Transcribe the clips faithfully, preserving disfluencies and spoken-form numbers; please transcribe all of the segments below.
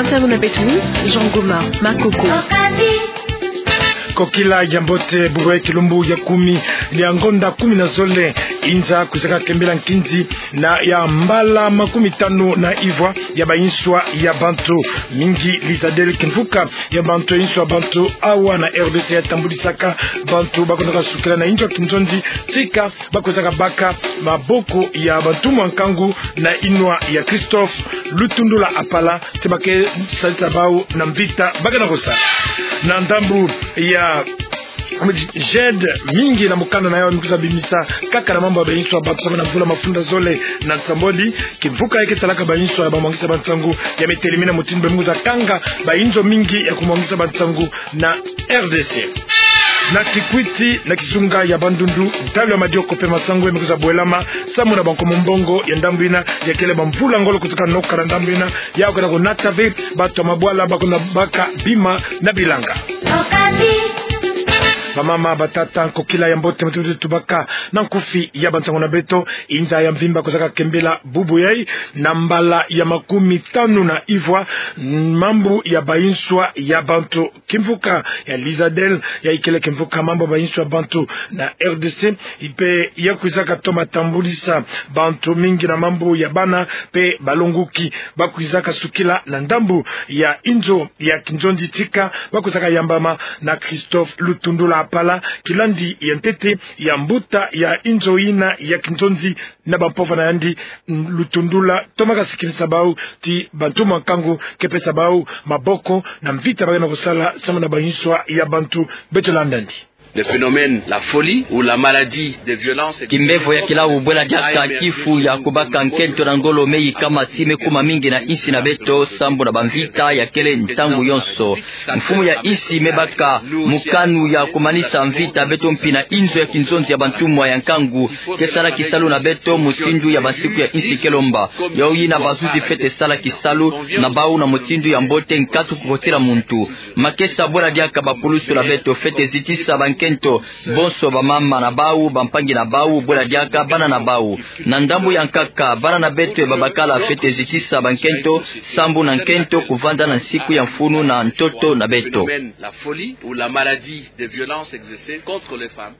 Nsangu na beto, Jean Gomar Makoko. Kokila ya mbote, bubu ya kilumbu ya kumi ya ngonda kumi na zole, inza kwizaka kembela nkinzi na ya mbala makumi tanu na ivwa ya bayinswa ya bantu. Mingi Lizadel, kimvuka ya bantu, yinswa bantu awa na R D C yatambulisaka bantu bakwendaka sukila na inzo ya kinzonzi, tika bakwizaka baka maboko ya bantumwa nkangu na inwa ya Christophe Lutundula Apala, ti ba ke salisa bau na mvita ba ke na kosala. Na ndambu ya G E D, mingi na mukanda na yawu mi kwiza bimisa kaka na mambu ya bayinswa bantu samu na mvula mafunda zole na nsambwadi. Kimvuka ya ke talaka bayinswa ya bamwangisa bansangu ya mitelimini mutindu bwe mi kwiza kanga bayinzo mingi ya kumwangisa bansangu na R D C. Na Kikwit, na kizunga ya Bandundu, ntalu ya madioko mpe masangu ya mi kwiza bwelama samu na bankomo mbongo ya ndambu yina ya kele bamvula ngolo kwizaka noka na ndambu yina, yawu ke na kunata ve bantu ya mabwala bakwenda baka bima na bilanga. Bamama, batata, nkokila ya mbote, mutindu tubaka na nkufi ya bansangu na beto, inza ya mvimba kwizaka kembela bubu yayi na mbala ya makumi tanu na ivwa mambu ya bayinswa ya bantu. Kimvuka ya Lizadel, yayi kele kimvuka mambu ya bayinswa bantu na R D C, mpe ya kwizaka toma tambulisa bantu mingi na mambu ya bana mpe balonguki bakwizaka sukila na ndambu ya inzo ya kinzonzi, tika bakwizaka yambama na Christophe Lutundula Apala, kilandi ya ntete ya mbuta ya inzo yina ya kinzonzi na bampova na yandi. Lutundula toma kasikinisa bau ti bantumwa nkangu ke pesa bau maboko na mvita ba ke na kosala samu na bayinswa ya bantu. Beto landa yandi. Le phénomène, la folie ou la maladie de violence et de... Kimbevo ya kilau, bwela diaka kifu ya kubaka nkento na ngolo, me yikama ti me kuma mingi na insi na beto sambu na bamvita ya kele ntangu yonso. Mfumu ya insi me baka mukanu ya kumanisa mvita. Beto mpi na inzo ya kinzonzi ya bantumwa ya nkangu, ke sala kisalu na beto mutindu ya bansiku ya insi ke lomba. Yawu yina bazuzi fwete sala kisalu na bau na mutindu ya mbote, nkatu kukotila muntu. Makesa, bwela diaka bakulusu na beto, fwete zitisa bankento bonso, bamama na bau, bampangi na bau, bwela diaka bana na bau. Na ndambu ya nkaka, bana na beto ya babakala fwete zitisa bankento sambu na nkento kuvanda na nsiku ya mfunu na ntoto na beto. La folie ou la maladie de violence exercée contre les femmes.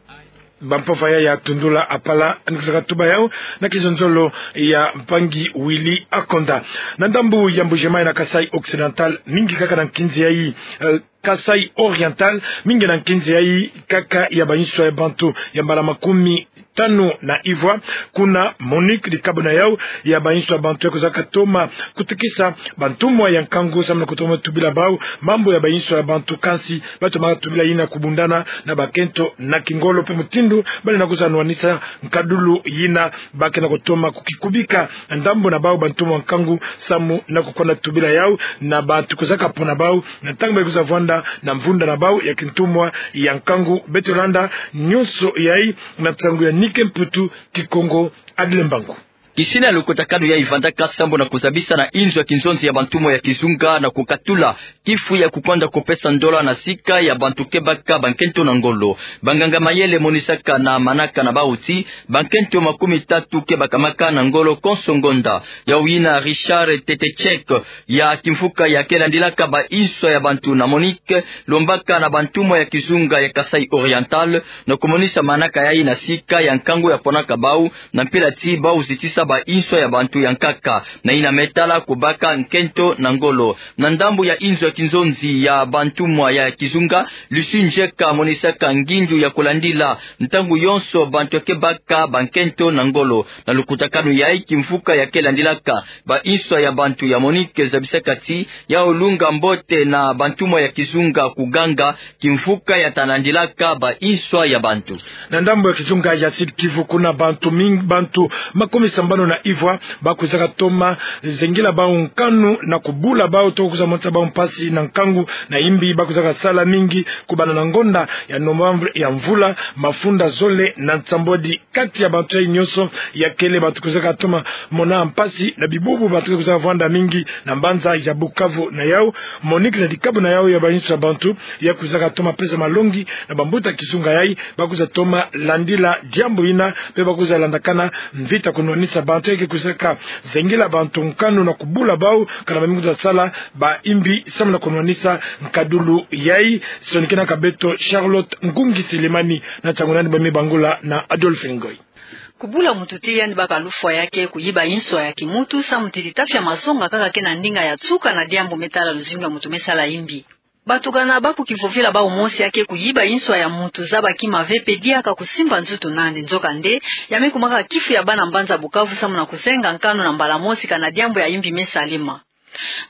Bampova ya, ya Lutundula Apala, ni kwizaka tuba yawu na kizonzolo ya mpangi Willy Akonda. Na ndambu ya Mbuji-Mayi, na Kasaï Occidental, mingi kaka na nkinzi yayi, eh, Kasaï Oriental, mingi na nkinzi yayi kaka ya bayinswa ya bantu ya mbala makumi tanu na ivwa. Kuna Monique, dikabu na yawu ya bayinswa ya bantu, ya kwizaka toma kutikisa bantumwa ya nkangu samu na kutoma tubila bau mambu ya bayinswa ya bantu, kansi batoma tubila yina kubundana na bakento na kingolo mpe mutindu ba lenda kwiza nwanisa nkadulu yina ba ke na kutoma kukikubika na ndambu na bau bantumwa nkangu samu na kukwenda tubila yawu na bantu kwizaka pona bau na ntangu ba kwiza vwanda na mvunda na bau ya kintumwa ya nkangu. Beto landa nyonso yayi na nsangu ya Nike Mputu, Kikongo Adile Mbangu. Kisina ya lukutakanu yayi vandaka sambu na kuzabisa na inzo ya kinzonzi ya bantumwa ya kizunga na kukatula kifu ya kukwenda kupesa ndola na sika ya bantu ke baka bankento na ngolo. Banganga mayele monisaka na manaka na bau ti bankento makumi tatu ke bakamaka na ngolo konso ngonda. Yawu yina Richard Tetechek ya kimvuka ya ke landilaka bayinswa ya bantu na Monique, lombaka na bantumwa ya kizunga ya Kasaï Oriental, na kumonisa manaka yayi na sika ya nkangu ya ponaka bau, na mpila ti bau zitisa bayinswa ya bantu ya nkaka, na yina me tala kubaka nkento na ngolo. Na ndambu ya inzo ya kinzonzi ya bantumwa ya kizunga, Lucie Nzeka monisaka ngindu ya kulandila ntangu yonso bantu ke baka bankento na ngolo. Na lukutakanu yayi, kimvuka ya ke landilaka bayinswa ya bantu ya Monique zabisaka ti yawu lunga mbote na bantumwa ya kizunga kuganga kimvuka ya ta landilaka bayinswa ya bantu. Na ndambu ya kizunga ya Sud-Kivu, kuna bantu ming-, bantu makumi sambanu na ivwa ba kwizaka toma zengila bau nkanu na kubula bau, toko kwiza monisa bau mpasi na nkangu na imbi ba kwizaka sala mingi kubanda na ngonda ya novembre ya mvula mafunda zole na nsambwadi. Kati ya bantu yayi nyonso, ya kele bantu kwizaka toma mona mpasi na bibubu, bantu kwizaka vwanda mingi na mbanza ya Bukavu. Na yawu, Monique na dikabu na yawu ya bayinswa ya bantu, ya kwizaka toma pesa malongi na bambuta kizunga yayi ba kwiza toma landila diambu yina, mpe ba kwiza landakana mvita kunwanisa Bantu ya ke kwiza ka zengela bantu nkanu na kubula bau, kana ba me kwiza sala ba imbi samu na kunwanisa nkadulu yai. Sonikena ka beto Charlotte Ngungi Selemani na ntangu nani ba me bangula na Adolphe Ngoy. Kubula muntu ti yandi baka lufwa ya ke kuyiba inswa ya kimuntu, samu ti litafi ya masonga kaka ke na ndinga ya nsuka na diambu me tala luzingu ya muntu me sala imbi. Batukana ba kukivovila bau mosi ya ke kuyiba inswa ya muntu zaba kima ve pe diaka kusimba nzutu nandi. Nzokande, ya me kumaka kifu ya bana mbanza Bukavu samu na kuzenga nkanu na mbala mosi kana diambu ya imbi me salema.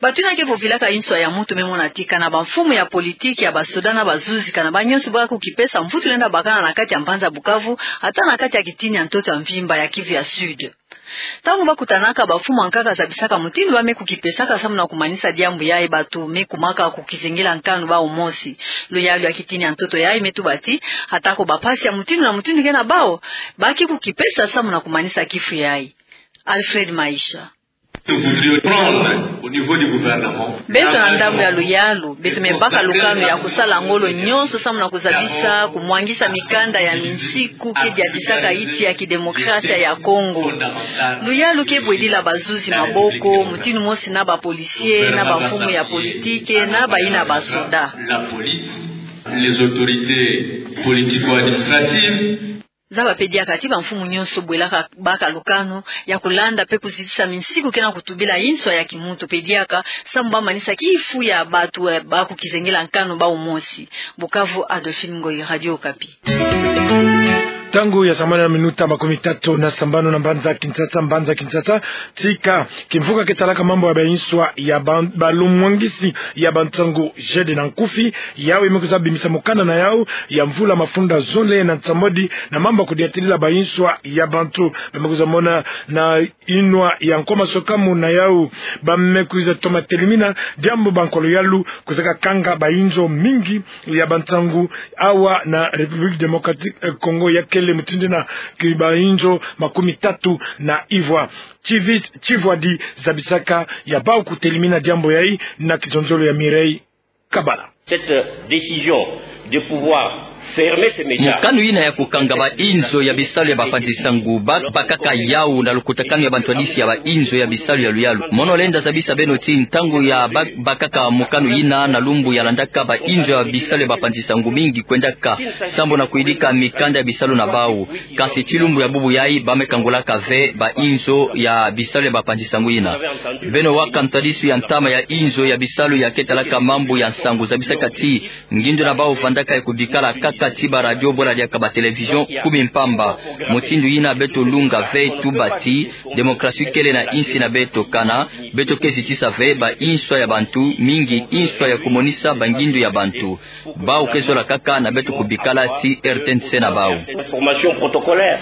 Bato yina ke vovilaka inswa ya muntu me mona ti kana bamfumu ya politiki, ya basoda na bazuzi, kana ba nyonso ba kukipesa mvutu lenda bakana na kati ya mbanza Bukavu, ata na kati ya kitini ya ntoto ya mvimba ya Kivu ya Sud. Ntangu ba kutanaka, bamfumu ya nkaka zabisaka mutindu ba me kukipesaka samu na kumanisa diambu yai. Bato me kumaka kukizengela nkanu bau mosi. Luyalu ya kitini ya ntoto yai me tuba ti, ata ko bampasi ya mutindu na mutindu ke na bau, ba ke kukipesa samu na kumanisa kifu yai. Alfred Maisha. Nous voudrions prendre au niveau du gouvernement. Beto na ndambu ya luyalu, beto me baka lukanu ya kusala ngolo nyonso samu na kuzabisa kumwangisa mikanda ya minsiku ke diatisaka insi ya kidemokrasia ya Kongo. Luyalu ke bwedila bazuzi maboko, mutindu mosi na bapolisie, na bamfumu ya politiki, na bayina basoda. La police, les autorités politico-administratives. Zaba pe diaka ti bamfumu nyonso bwelaka baka lukanu ya kulanda pe kuzitisa minsiku ke na kutubila inswa ya kimuntu pe diaka, samu ba manisa kifu ya bato, eh, ba kukizengela nkanu bau mosi. Bukavu, Adolphine Ngoyi, Radio Okapi. Ntangu ya sambanu na minuta makumi tatu na sambanu na mbanza Kinshasa, mbanza Kinshasa, tika kimvuka ke talaka mambu ya bainswa ya ba-, balumwangisi ya bansangu Jeunes na Nkufi, yau me kwiza bimisa mukanda na yau ya mvula mafunda zole na nsambwadi na mambu ya kudiatilila bainswa ya bantu. Ba me kwiza mona na inwa ya nkwa masokamu na yau, ba me kwiza toma telimina diambu ba nkwa luyalu kwizaka kanga bainzo mingi ya bansangu awa na République Démocratique, eh, Congo ya Kele, mutindu yina ki bainzo makumi tatu na ivwa. Chivi-, chivwadi zabisaka ya bau kutelimina diambu yai na kizonzolo ya Mireille Kabala. Cette décision de pouvoir fermer ces médias. Mukanu yina ya kukanga bainzo ya bisalu ya bapanzi-nsangu, ba-, bakaka yau na lukutakanu ya bantwadisi ya bainzo ya bisalu ya luyalu. Mono lenda zabisa beno ti ntangu ya ba-, bakaka mukanu yina, na lumbu ya landaka bainzo ya bisalu ya bapanzi-nsangu mingi kwendaka sambu na kuyidika mikanda ya bisalu na bau. Kasi ti lumbu ya bubu yai ba me kangulaka ve bainzo ya bisalu ya bapanzi-nsangu yina. Beno waka ntwadisu ya ntama ya inzo ya bisalu ya ke talaka mambu ya nsangu zabisaka ti ngindu na bau vandaka ya kubikala kaka ti baradio bwala diaka batelevizion kumi mpamba. Mutindu yina beto lunga ve tuba ti demokrasi kele na insi na beto, kana beto ke zitisa ve bainswa ya bantu, mingi inswa ya kumonisa bangindu ya bantu. Bau ke zola kaka na beto kubikala ti R T N C na bau. Information protocolaire.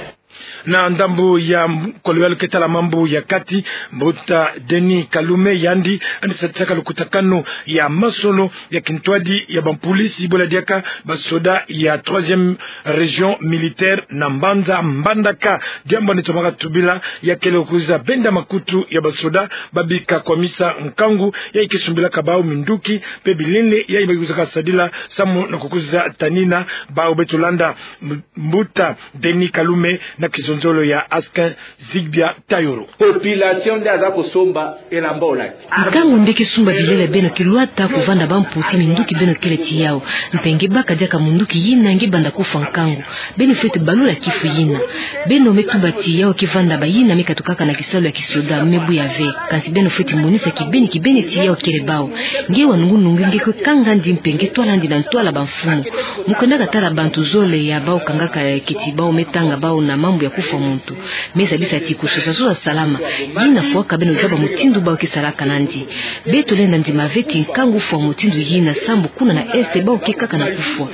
Na ndambu ya m-, nkwa luyalu ke tala mambu ya kati, mbuta Denis Kalume, yandi yandi sadisaka lukutakanu ya masolo ya kintwadi ya bampolisi bwala diaka basoda ya troisième région militaire na mbanza Mbandaka. Diambu yandi tomaka tubila ya kele kwiza benda makutu ya basoda, ba bika kwamisa nkangu yayi ke sumbilaka bau minduki mpe bilele yayi ba kwizaka sadila samu na kukwiza tanina bau. Beto landa m-, mbuta Denis Kalume na kizonzolo ya Askin Zigbia Tayoro. Population nde aza kosomba elamba olati. Nkangu nde ke sumba bilele beno ke lwata kuvanda bamputi minduki beno kele ti yau. Mpe nge baka diaka munduki yina nge banda kufwa nkangu. Beno fwete balula kifu yina. Beno me tuba ti yau ke vanda bayina me katukaka na kisalu ya kisoda, me buya ve. Kansi beno fwete monisa kibeni kibeni ti yau kele bau. Nge wa nungu-nungu nge kwe kanga'andi mpe nge twala'andi na ntwala bamfumu. Mu kwendaka tala bantu zole ya bau kangaka, eh, keti bau me tanga bau na mambu ya kufwa muntu. Me zabisa ti kusosa-sosa salama. Yina fwaka beno zaba mutindu bau ke salaka nandi. Beto lenda ndima ve ti nkangu fwa mutindu yina sambu kuna na Est bau ke kaka na kufwa.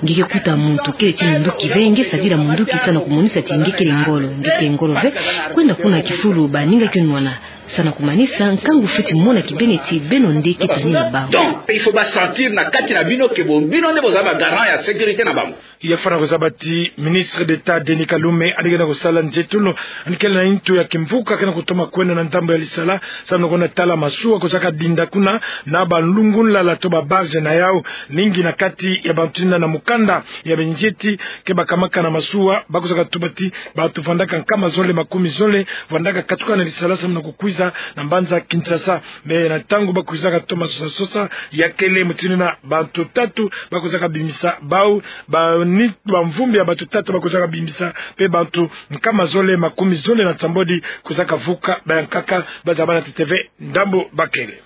Nge ke kuta muntu kele ti munduki ve, nge sadila munduki samu na kumonisa ti nge kele ngolo. Nge kele ngolo ve, kwenda kuna kifulu baninga ke nwana. Sa na kumanisa, nkangu fweti mona kibeni ti beno nde ke tani na bango. Donc, il faut ba sentir na kati na bino que bo, bino nde bozali ba garant ya sécurité na bango. Ya fwana kozaba ti ministre d'État Denis Kalume, yandi ke na kosala nzietolo, yandi kele na ntu ya kimvuka ke na kutoma kwenda na ndambo ya Lisala, samu na kutala masuwa kozaka dinda kuna, na banlungunlala to ba barge na yau, mingi na kati ya bantu yina na mukanda ya binzieti ke bakamaka na masuwa, ba kozaka tuba ti bantu vandaka nkama zole makumi zole vandaka katuka na Lisala samu na kukwiza na mbanza Kinshasa. Mais na ntangu ba kwizaka toma sosa-sosa, ya kele mutindu yina bantu tatu ba kwizaka bimisa bau, ba ni, bamvumbi ya bantu tatu ba kwizaka bimisa, mpe bantu nkama zole makumi zole na nsambwadi kwizaka vuka, bayankaka ba zaba na T T V ndambu ba kele.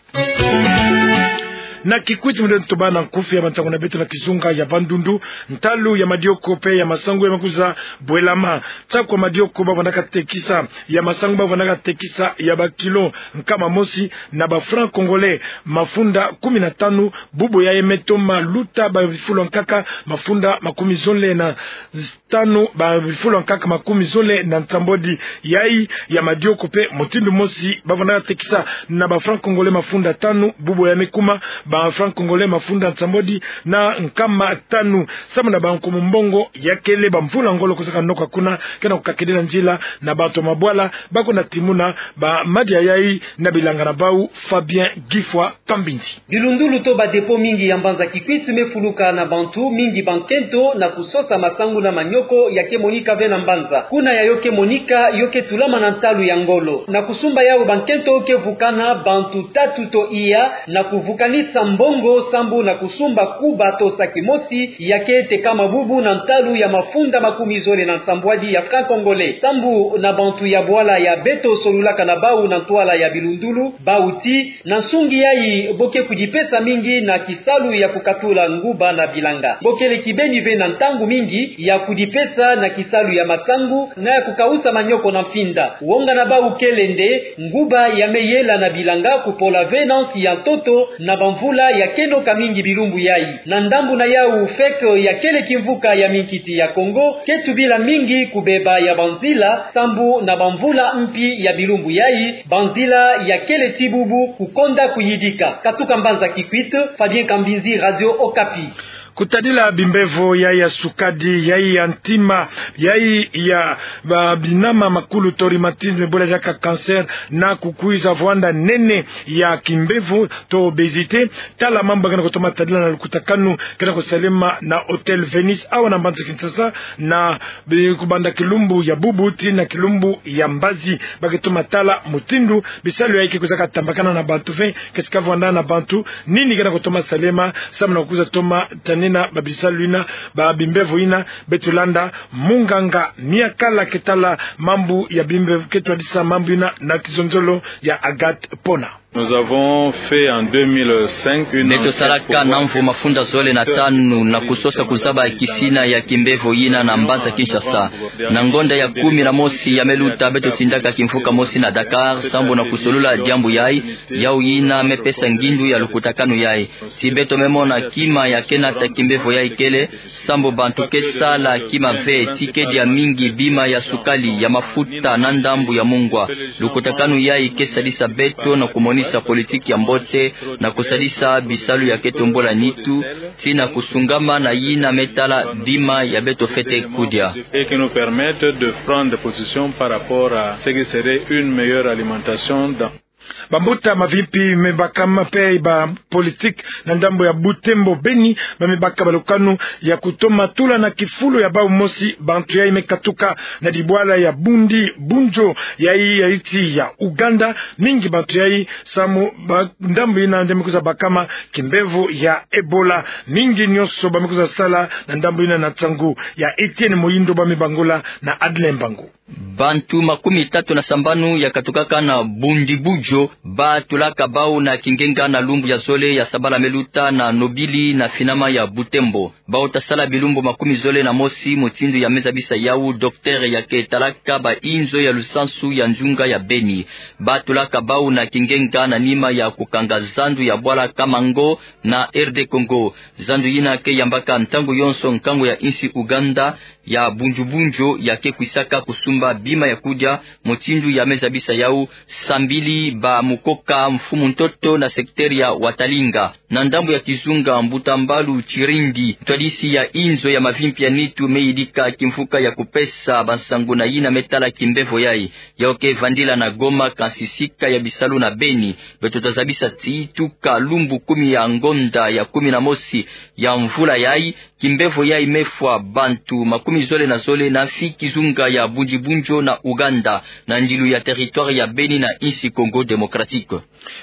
Na Kikwit, mundele tuba na nkufi ya bansangu na beto na kizunga ya Bandundu, ntalu ya madioko mpe ya masangu ya me kwiza bwelama. Nsaku ya madioko ba vandaka tekisa, ya masangu ba vandaka tekisa ya ba kilo nkama mosi na ba francs congolais mafunda kumi na tanu, bubu yayi me toma luta ba bifulu ya nkaka mafunda makumi zole na tanu, ba bifulu ya nkaka makumi zole na nsambwadi. Yayi ya madioko mpe mutindu mosi ba vandaka tekisa na ba francs congolais mafunda tanu, bubu yayi me kuma ba francs congolais mafunda nsambwadi na nkama tanu. Samu na bankumu mbongo, ya kele bamvula ngolo kwizaka noka kuna, ke na kukakidila nzila na bantu ya mabwala ba kwenda timuna ba madia yayi na bilanga na bau. Fabien Gifwa Kambindi. Bilundulu to ba dépôt mingi ya mbanza Kikwit me fuluka na bantu mingi bankento na kusosa masangu na manioko ya ke monika ve na mbanza. Kuna yayo ke monika, yo ke tulama na ntalu ya ngolo. Na kusumba yau, bankento ke vukana bantu tatu to iya na kuvukanisa mbongo sambu na kusumba kuba to saki mosi ya ke tekama bubu na ntalu ya mafunda makumi zole na nsambwadi ya francs congolais. Sambu na bantu ya bwala ya beto solulaka na bau na ntwala ya bilundulu, bau ti na nsungi yayi bo ke kudipesa mingi na kisalu ya kukatula nguba na bilanga. Bo kele kibeni ve na ntangu mingi ya kudipesa na kisalu ya masangu na ya kukausa manioko na mfinda. Wonga na bau kele nde nguba ya me yela na bilanga kupola ve na nsi ya ntoto na bamvula ya ke noka mingi bilumbu yayi. Na ndambu na yau, FEC ya kele kimvuka ya minkiti ya Kongo ke tubila mingi kubeba ya banzila sambu na bamvula mpi ya bilumbu yayi, banzila ya kele ti bubu kukonda kuyidika. Katuka mbanza Kikwit, Fabien Kambindi, Radio Okapi. Kutadila bimbevo yayi ya sukadi, yayi ya ntima, yayi ya ba binama makulu to rhumatisme, bo la diaka cancer, na kukwiza vwanda nene ya kimbevo to obésité. Tala mambu ba ke na kutoma tadila na lukutakanu ke na kusalema na Hôtel Venus awa na mbanza Kinshasa, na bi-, kubanda kilumbu ya bubu tii na kilumbu ya mbazi. Ba ke toma tala mutindu bisalu yayi ke kwizaka tambakana na bantu ve, ke sika vwanda na bantu, nini ke na kutoma salema samu na kukwiza toma tanina ba bisalu yina, ba bimbevo yina. Beto landa munganga Miakala ke tala mambu ya bimbevo, ke twadisa mambu yina na kizonzolo ya Agathe Pona. Nous avons fait en deux mille cinq une enquête pour voir... Beto salaka na mvu mafunda zole na tanu na kusosa kuzaba kisina ya kimbevo yina na mbanza Kinshasa. Na ngonda ya kumi na mosi ya me luta, beto tindaka kimvuka mosi na Dakar sambu na kusolula diambu yayi. Yau yina me pesa ngindu ya lukutakanu yayi. Si beto me mona kima ya ke nata kimbevo yayi kele, sambu bantu ke sala kima ve, tii ke dia mingi bima ya sukali, ya mafuta na ndambu ya mungwa. Lukutakanu yayi ke sadisa beto na kumonisa politique ya mbote, na kusadisa bisalu ya ke tombula nitu, tii na kusungama na yina me tala bima ya beto fwete kudia. Et qui nous permettent de prendre position par rapport à ce qui serait une meilleure alimentation dans... Bambuta mavimpi me bakama mpe ba politique na ndambu ya Butembo, Beni, ba me baka ba lukanu ya kutoma tula na kifulu ya bau mosi bantu yayi me katuka na dibwala ya Bundi Bunjo, yayi ya nsi ya Ouganda. Mingi bantu yayi samu ba ndambu yina nde me kwiza bakama kimbevo ya Ebola. Mingi nyonso ba me kwiza sala na ndambu yina na nsangu ya Etienne Moyindo, ba me bangula na Adeline Mbangu. Bantu makumi tatu na sambanu ya katukaka na Bundi Bunjo ba tulaka bau na kingenga na lumbu ya zole ya sabala me luta na Nobili na finama ya Butembo. Bau ta sala bilumbu makumi zole na mosi, mutindu ya me zabisa yau docteur ya ke talaka ba inzo ya lusansu ya nzunga ya Beni. Ba tulaka bau na kingenga na nima ya kukanga zandu ya bwala Kamango na R D Congo. Zandu yina ke yambaka ntangu yonso nkangu ya nsi Ouganda, ya Bundju-Bundju ya ke kwisaka kusumba bima ya kudia, mutindu ya me zabisa yau sambili ba Mukoka, mfumu ntoto na secteur ya Watalinga. Na ndambu ya kizunga, mbuta mbalu Tshirindi, ntwadisi ya inzo ya mavimpi ya nitu, me yidika kimvuka ya kupesa bansangu na yina me tala kimbevo yai. Yau ke vandila na Goma, kansi sika ya bisalu na Beni. Beto ta zabisa ti tuka lumbu kumi ya ngonda ya kumi na mosi ya mvula yai, kimbevo yai me fwa bantu makumi zole na zole na mfi kizunga ya Bundji-Bundjo na Ouganda, na ndilu ya territoire ya Beni na insi Congo Démocratique.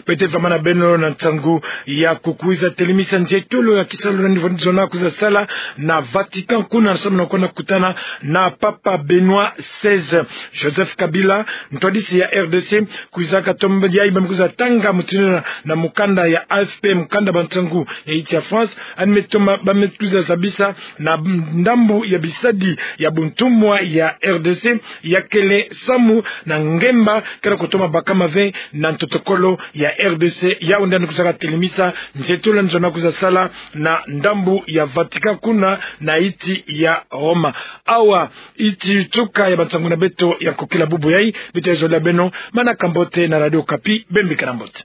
Beto ta vamana beno na nsangu ya kukwiza telemisa nzietolo ya kisalu na nivo zona kwiza sala na Vatican, kuna samu na kwenda kutana na Papa Benoît seize. Joseph Kabila, ntwadisi ya R D C, kwiza katomba yai ba me kwiza tanga mutindu na, na mukanda ya A F P, mukanda ba nsangu ya insi ya France, yandi me toma ba me kwiza zabisa na ndambu ya bisadi ya buntumwa ya R D C, ya kele samu na ngemba kera kutoma baka mave na ntotokolo ya R D C, yau nde yandi kwiza katelemisa nzietolo nzona kwiza sala na ndambu ya Vatican kuna na insi ya Roma. Awa insi tuka ya bansangu na beto ya nkokila bubu yai, beto ta zolila beno manaka mbote na Radio Okapi, bembikana mbote.